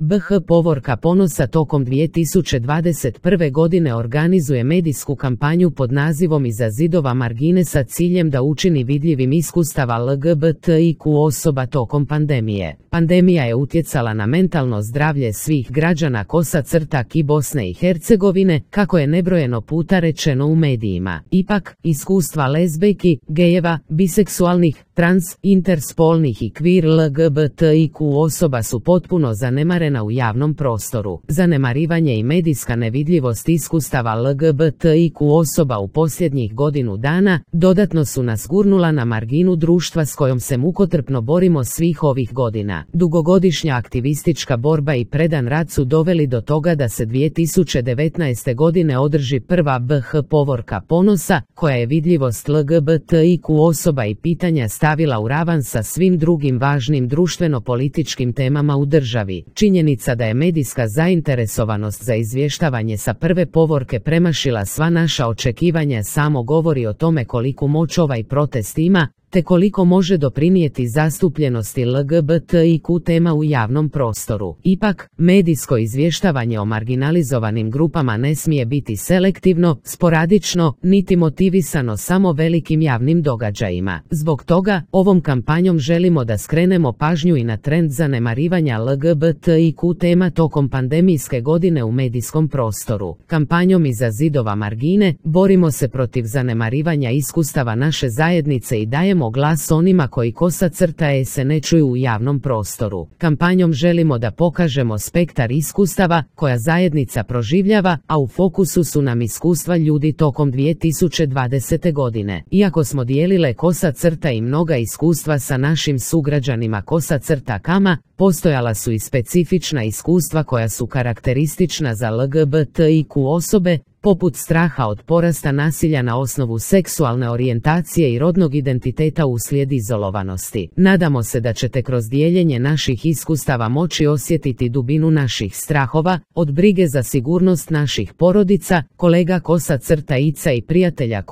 BH Povorka ponosa tokom 2021. godine organizuje medijsku kampanju pod nazivom Iza zidova margine sa ciljem da učini vidljivim iskustava LGBTIQ osoba tokom pandemije. Pandemija je utjecala na mentalno zdravlje svih građana KI Bosne i Hercegovine, kako je nebrojeno puta rečeno u medijima. Ipak, iskustva lezbejki, gejeva, biseksualnih, trans, interspolnih i queer LGBTIQ osoba su potpuno zanemarena u javnom prostoru. Zanemarivanje i medijska nevidljivost iskustava LGBTIQ osoba u posljednjih godinu dana dodatno su nas gurnula na marginu društva s kojom se mukotrpno borimo svih ovih godina. Dugogodišnja aktivistička borba i predan rad su doveli do toga da se 2019. godine održi prva BH Povorka ponosa, koja je vidljivost LGBTIQ osoba i pitanja stavila u ravan sa svim drugim važnim društveno-političkim temama u državi. Činjenica da je medijska zainteresovanost za izvještavanje sa prve povorke premašila sva naša očekivanja samo govori o tome koliku moć ovaj protest ima, te koliko može doprinijeti zastupljenosti LGBTIQ tema u javnom prostoru. Ipak, medijsko izvještavanje o marginalizovanim grupama ne smije biti selektivno, sporadično, niti motivisano samo velikim javnim događajima. Zbog toga, ovom kampanjom želimo da skrenemo pažnju i na trend zanemarivanja LGBTIQ tema tokom pandemijske godine u medijskom prostoru. Kampanjom Iza zidova margine borimo se protiv zanemarivanja iskustava naše zajednice i dajemo glas onima koji se ne čuju u javnom prostoru. Kampanjom želimo da pokažemo spektar iskustava koja zajednica proživljava, a u fokusu su nam iskustva ljudi tokom 2020. godine. Iako smo dijelile i mnoga iskustva sa našim sugrađanima kama, postojala su i specifična iskustva koja su karakteristična za LGBTIQ osobe, poput straha od porasta nasilja na osnovu seksualne orijentacije i rodnog identiteta uslijed izolovanosti. Nadamo se da ćete kroz dijeljenje naših iskustava moći osjetiti dubinu naših strahova, od brige za sigurnost naših porodica, kolega ica i prijatelja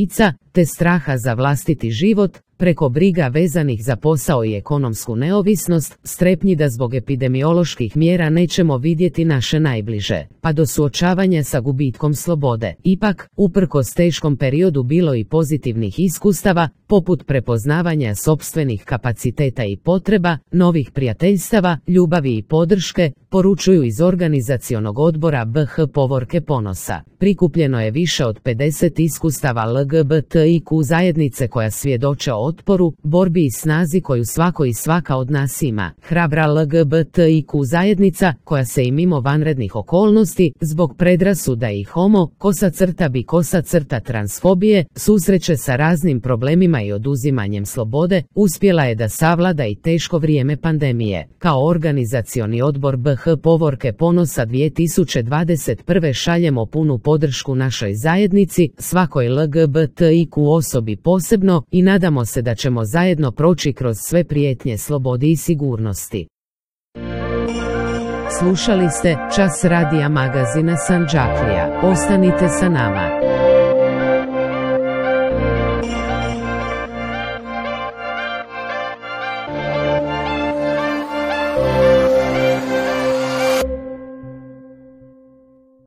ica, te straha za vlastiti život, preko briga vezanih za posao i ekonomsku neovisnost, strepnji da zbog epidemioloških mjera nećemo vidjeti naše najbliže, pa do suočavanja sa gubitkom slobode. Ipak, uprkos teškom periodu bilo i pozitivnih iskustava, poput prepoznavanja sopstvenih kapaciteta i potreba, novih prijateljstava, ljubavi i podrške, poručuju iz organizacionog odbora BH Povorke ponosa. Prikupljeno je više od 50 iskustava LGBTIQ zajednice koja svjedoče o otporu, borbi i snazi koju svako i svaka od nas ima. Hrabra LGBTIQ zajednica, koja se i mimo vanrednih okolnosti, zbog predrasuda i homo, bi transfobije, susreće sa raznim problemima i oduzimanjem slobode, uspjela je da savlada i teško vrijeme pandemije. Kao organizacioni odbor BH Povorke ponosa 2021. šaljemo punu podršku našoj zajednici, svakoj LGBTIQ osobi posebno, i nadamo se da ćemo zajedno proći kroz sve prijetnje slobodi i sigurnosti. Slušali ste Čas radija magazina Sandžaklija. Ostanite sa nama.